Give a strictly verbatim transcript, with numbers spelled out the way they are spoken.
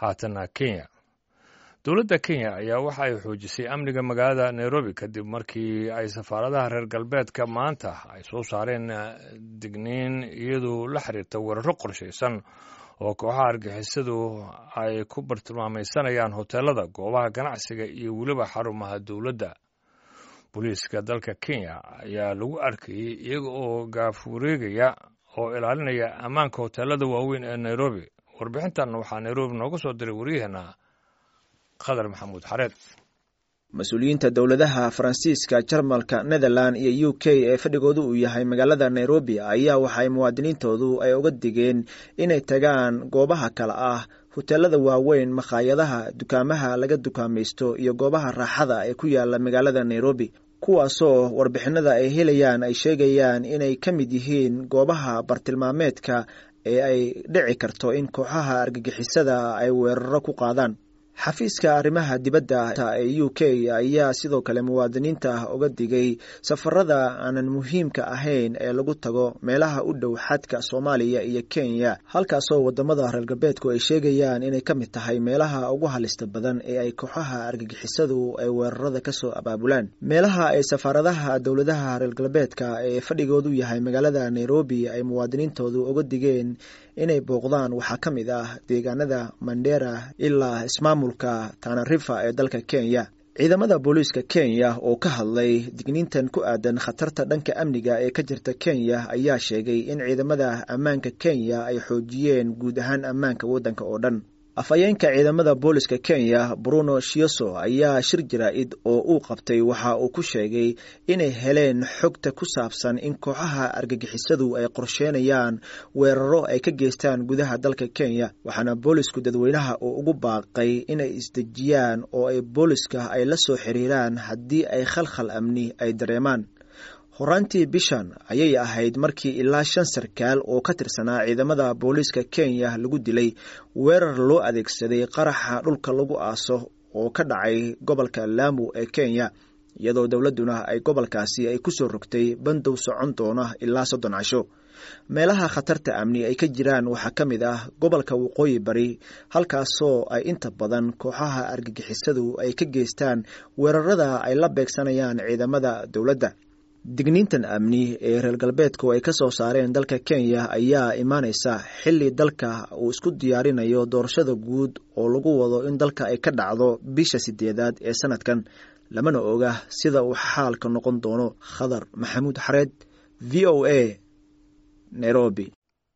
Haatana Kenya. Dowladda Kenya ayaa waxa ay xoojisay amniga magaalada Nairobi kadib markii ay safaaradaha reer galbeedka maanta ay soo saareen digniin iyadoo la xiriirta weeraro qorshaysan oo kooxaha argixisadu ay ku bartilmaamaysanayaan hoteelada, goobaha ganacsiga iyo weliba xarumaha dowladda. Booliiska dalka Kenya ayaa lagu arkayey iyaga oo gaafureegaya oo ilaalinaya ammaanka hoteelada waaweyn ee Nairobi. Warbixintan waxaa Nairobi nooga soo diray waryaheena Qadar Maxamuud Xareed. Mas-uuliyiinta dowladaha Faransiiska, Jarmalka, Netherland iyo U K ee fadhigoodu uu yahay magaalada Nairobi ayaa waxay muwaadiniintoodu ay uga digeen inay tagaan goobaha kale ah hoteelada waaweyn, makhaayadaha, dukaamaha laga dukaamaysto iyo goobaha raaxada ee ku yaala magaalada Nairobi, kuwaasoo warbixinada ay helayaan ay sheegayaan inay ka mid yihiin goobaha bartilmaameedka ee ay dhici karto in kooxaha argagixisada ay weeraro ku qaadaan. Xafiiska arrimaha dibadda ee U K ayaa sidoo kale muwaadiniinta uga digay safarada aanan muhiimka ahayn ee lagu tago meelaha u dhow xadka Soomaaliya iyo Kenya, halkaasoo wadamada reer galbeedku ay sheegayaan inay ka mid tahay meelaha ugu halista badan ee ay kooxaha argagixisadu ay weerarada kasoo abaabulaan. Meelaha ay safaaradaha dowladaha reer galbeedka ee fadhigoodu yahay magaalada Nairobi ay muwaadiniintoodu uga digeen inay booqdaan waxaa ka mid ah deegaanada Mandera ilaa ismaamulka Tana River ee dalka Kenya. Ciidamada booliiska Kenya oo ka hadlay digniintan ku aadan khatarta dhanka amniga ee ka jirta Kenya ayaa sheegay in ciidamada ammaanka Kenya ay xoojiyeen guud ahaan ammaanka waddanka oo dhan. Afhayeenka ciidamada booliska Kenya, Bruno Shioso, ayaa shir jaraa'id oo uu qabtay waxa uu ku sheegay inay heleen xogta ku saabsan in kooxaha argagixisadu ay qorsheynayaan weeraro ay ka geystaan gudaha dalka Kenya, waxaana boolisku dadweynaha uu ugu baaqay inay isdejiyaan oo ay booliska ay la soo xiriiraan haddii ay khalkhal amni ay dareemaan. Horaantii bishan ayay ahayd markii ilaa shan sarkaal oo ka tirsanaa ciidamada booliiska Kenya lagu dilay weerar loo adeegsaday qaraxa dhulka lagu aaso oo ka dhacay gobolka Laamu ee Kenya, iyadoo dowladduna ay gobolkaasi ay kusoo rogtay bandow socon doona ilaa soddon casho. Meelaha khatarta amni ay ka jiraan waxaa ka mid ah gobolka Waqooyi Bari, halkaasoo ay inta badan kooxaha argagixisadu ay ka geystaan weerarada ay la beegsanayaan ciidamada dowladda. Digniintan amni ee reer galbeedku ay ka soo saareen dalka Kenya ayaa imaaneysa xilli dalka uu isku diyaarinayo doorashada guud oo lagu wado in dalka ay ka dhacdo bisha sideedaad ee sanadkan, lamana oga sida uu xaalka noqon doono. Khadar Maxamuud Xareed, V O A, Nairobi.